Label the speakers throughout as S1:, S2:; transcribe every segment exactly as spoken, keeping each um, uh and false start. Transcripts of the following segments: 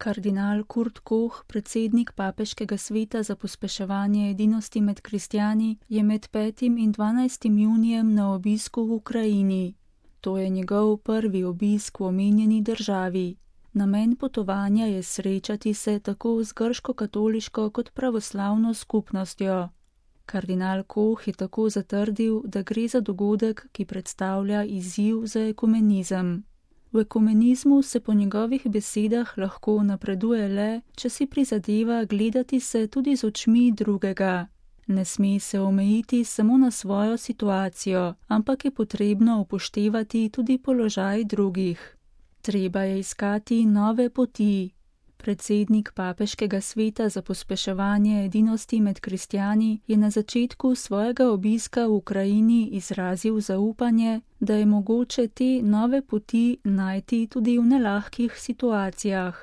S1: Kardinal Kurt Koch, predsednik Papeškega sveta za pospeševanje edinosti med kristjani, je med petim in dvanajstim junijem na obisku v Ukrajini. To je njegov prvi obisk v omenjeni državi. Namen potovanja je srečati se tako z grško-katoliško kot pravoslavno skupnostjo. Kardinal Koch je tako zatrdil, da gre za dogodek, ki predstavlja izziv za ekumenizem. V ekumenizmu se po njegovih besedah lahko napreduje le, če si prizadeva gledati se tudi z očmi drugega. Ne sme se omejiti samo na svojo situacijo, ampak je potrebno upoštevati tudi položaj drugih. Treba je iskati nove poti. Predsednik Papeškega sveta za pospeševanje edinosti med kristjani je na začetku svojega obiska v Ukrajini izrazil zaupanje, da je mogoče te nove poti najti tudi v nelahkih situacijah.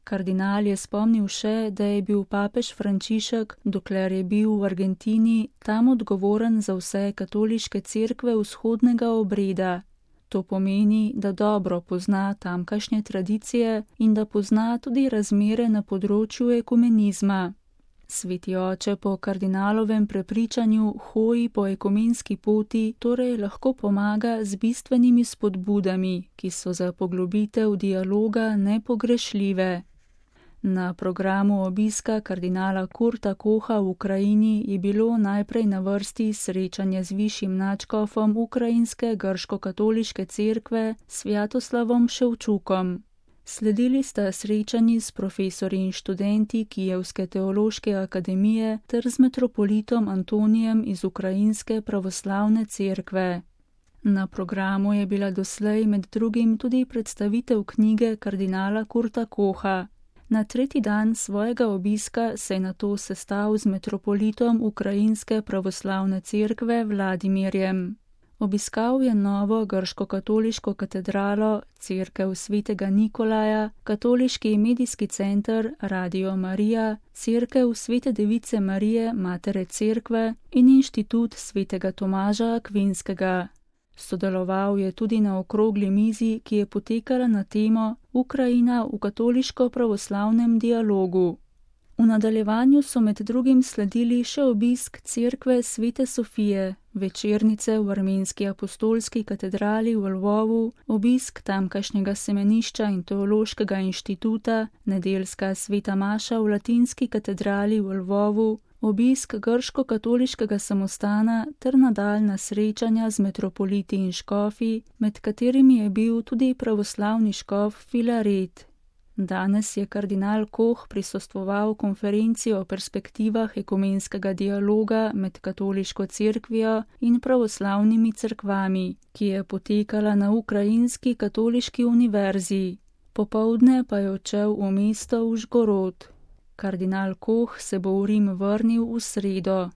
S1: Kardinal je spomnil še, da je bil papež Frančišek, dokler je bil v Argentini, tam odgovoren za vse katoliške cerkve vzhodnega obreda. To pomeni, da dobro pozna tamkajšnje tradicije in da pozna tudi razmere na področju ekumenizma. Sveti oče po kardinalovem prepričanju hoji po ekumenski poti, torej lahko pomaga z bistvenimi spodbudami, ki so za poglobitev dialoga nepogrešljive. Na programu obiska kardinala Kurta Kocha v Ukrajini je bilo najprej na vrsti srečanje z višjim nadškofom ukrajinske grško-katoliške cerkve Svjatoslavom Ševčukom. Sledili sta srečanji s profesorji in študenti Kijevske teološke akademije ter z metropolitom Antonijem iz ukrajinske pravoslavne cerkve. Na programu je bila doslej med drugim tudi predstavitev knjige kardinala Kurta Kocha. Na tretji dan svojega obiska se je nato sestal z metropolitom ukrajinske pravoslavne cerkve Vladimirjem. Obiskal je novo grško-katoliško katedralo, cerkev svetega Nikolaja, katoliški medijski center Radio Marija, cerkev svete device Marije, matere cerkve in inštitut svetega Tomaža Akvinskega. Sodeloval je tudi na okrogli mizi, ki je potekala na temo Ukrajina v katoliško-pravoslavnem dialogu. V nadaljevanju so med drugim sledili še obisk cerkve Svete Sofije, večernice v armenski apostolski katedrali v Lvovu, obisk tamkajšnjega semenišča in teološkega inštituta, nedeljska sveta maša v latinski katedrali v Lvovu, obisk grško-katoliškega samostana ter nadaljnja srečanja z metropoliti in škofi, med katerimi je bil tudi pravoslavni škof Filaret. Danes je kardinal Koch prisostvoval konferenci o perspektivah ekumenskega dialoga med katoliško cerkvijo in pravoslavnimi cerkvami, ki je potekala na Ukrajinski katoliški univerzi. Popoldne pa je odšel v mesto Užgorod. Kardinal Koch se bo v Rim vrnil v sredo.